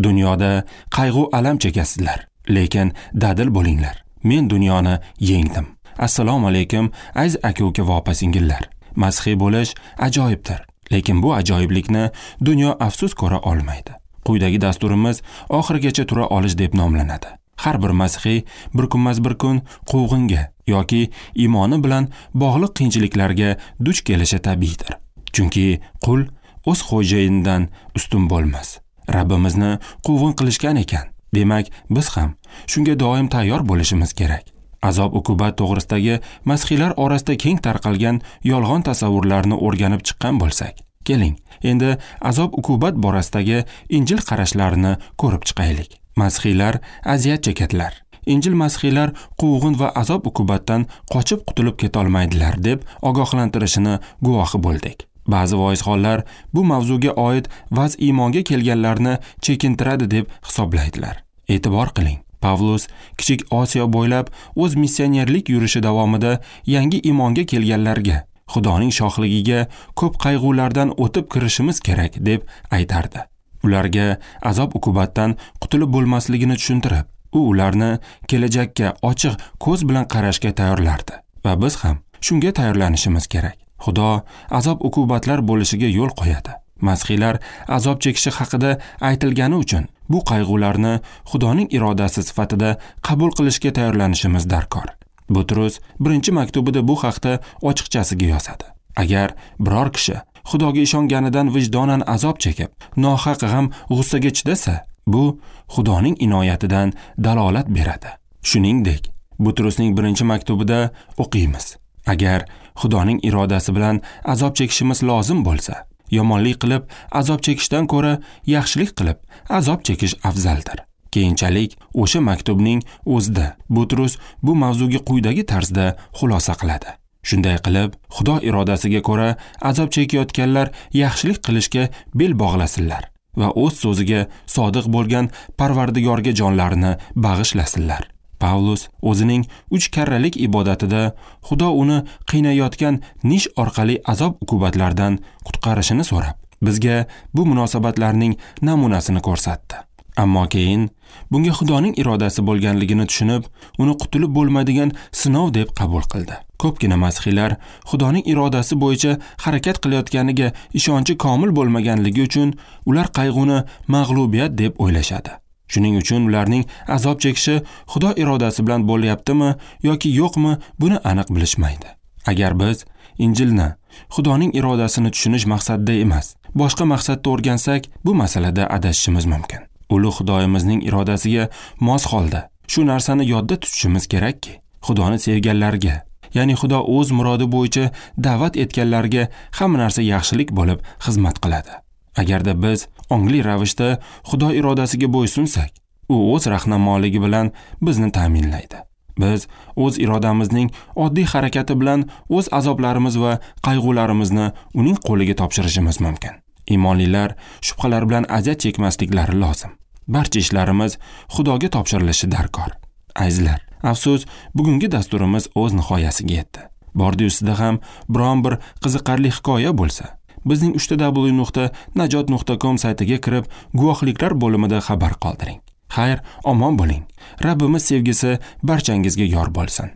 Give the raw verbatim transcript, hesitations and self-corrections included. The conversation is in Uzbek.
Dunyoda qayg'u alam chekasizlar, lekin dadil bo'linglar. Men dunyoni yengdim. Assalomu alaykum, aziz aka-uka va opa-singillar. Masihiy bo'lish ajoyibdir, lekin bu ajoyiblikni dunyo afsus ko'ra olmaydi. Quyidagi dasturimiz oxirigacha tura olish deb nomlanadi. Har bir masihiy bir kunmas bir kun quvg'inga yoki iymoni bilan bog'liq qiyinchiliklarga duch kelishi tabiiydir. Chunki qul o'z xo'jayinidan ustun bo'lmas. Rabbimizni quvg'in qilishgan ekan, demak biz ham shunga doim tayyor bo'lishimiz kerak. Azob uqubat to'g'risidagi masihiylar orasida keng tarqalgan yolg'on tasavvurlarni o'rganib chiqqan bo'lsak, keling, endi azob uqubat borasidagi Injil qarashlarini ko'rib chiqaylik. Masihiylar aziyat chekadilar. Injil masihiylar quvg'in va azob uqubatdan qochib qutulib keta olmaydilar deb ogohlantirishini guvohi bo'ldik. Ba'zi voizxonlar bu mavzuga oid vaz iymonga kelganlarni chekintiradi deb hisoblaydilar. E'tibor qiling. Pavlus Kichik Osiyo bo'ylab o'z missionerlik yurishi davomida yangi iymonga kelganlarga Xudoning shohligiga ko'p qayg'ulardan o'tib kirishimiz kerak deb aytardi. Ularga azob uqubatdan qutulib bo'lmasligini tushuntirib, u ularni kelajakka ochiq ko'z bilan qarashga tayyorlardi va biz ham shunga tayyorlanishimiz kerak. Xudo azob uqubatlar bo'lishiga yo'l qo'yadi. Masihiylar azob chekishi haqida aytilgani uchun bu qayg'ularni Xudoning irodasi sifatida qabul qilishga tayyorlanishimiz darkor. Butrus birinchi maktubida bu haqda ochiqchasiga yozadi. Agar biror kishi Xudoga ishonganidan vijdonan azob chekib, nohaq g'am g'ussaga chidasa, bu Xudoning inoyatidan dalolat beradi. Shuningdek, Butrusning birinchi maktubida o'qiymiz. Agar Xudoning irodasi bilan azob chekishimiz lozim bo'lsa, yomonlik qilib azob chekishdan ko'ra yaxshilik qilib azob chekish afzaldir. Keyinchalik o'sha maktubning o'zida Butrus bu mavzuga quyidagi tarzda xulosa qiladi. Shunday qilib, Xudo irodasiga ko'ra azob chekayotganlar yaxshilik qilishga bel bog'lasinlar va o'z so'ziga sodiq bo'lgan Parvardigorga jonlarini bag'ishlasinlar. Pavlus o'zining uch karralik ibodatida Xudo uni qiynayotgan nish orqali azob uqubatlardan qutqarishini so'rab, bizga bu munosabatlarning namunasini ko'rsatdi. Ammo keyin bunga Xudoning irodasi bo'lganligini tushunib, uni qutulib bo'lmaydigan sinov deb qabul qildi. Ko'pgina masihiylar Xudoning irodasi bo'yicha harakat qilayotganiga ishonchi komil bo'lmaganligi uchun ular qayg'uni mag'lubiyat deb o'ylashadi. Shuning uchun ularning azob chekishi Xudo irodasi bilan bo'lyaptimi yoki yo'qmi, buni aniq bilishmaydi. Agar biz Injilni Xudoning irodasini tushunish maqsadida emas, boshqa maqsadda o'rgansak, bu masalada adashishimiz mumkin. Ulug' Xudoyimizning irodasiga mos holda shu narsani yodda tutishimiz kerakki, Xudoni sevganlarga, ya'ni Xudo o'z murodi bo'yicha da'vat etganlarga hamma narsa yaxshilik bo'lib xizmat qiladi. Agarda biz ongli ravishda Xudo irodasiga bo'ysunsak, u o'z rahnamonligi bilan bizni ta'minlaydi. Biz o'z irodamizning oddiy harakati bilan o'z azoblarimiz va qayg'ularimizni uning qo'liga topshirishimiz mumkin. Iymonlilar shubhalar bilan aziyat chekmasliklari lozim. Barcha ishlarimiz Xudoga topshirilishi darkor. Azizlar, afsus, bugungi dasturimiz o'z nihoyasiga yetdi. Bordi ustida ham biron bir qiziqarli hikoya bo'lsa, bizning uch ta w nuqta najot nuqta com saytiga kirib, guvohliklar bo'limida xabar qoldiring. Xayr, omon bo'ling. Rabbimiz sevgisi barchangizga yor bo'lsin.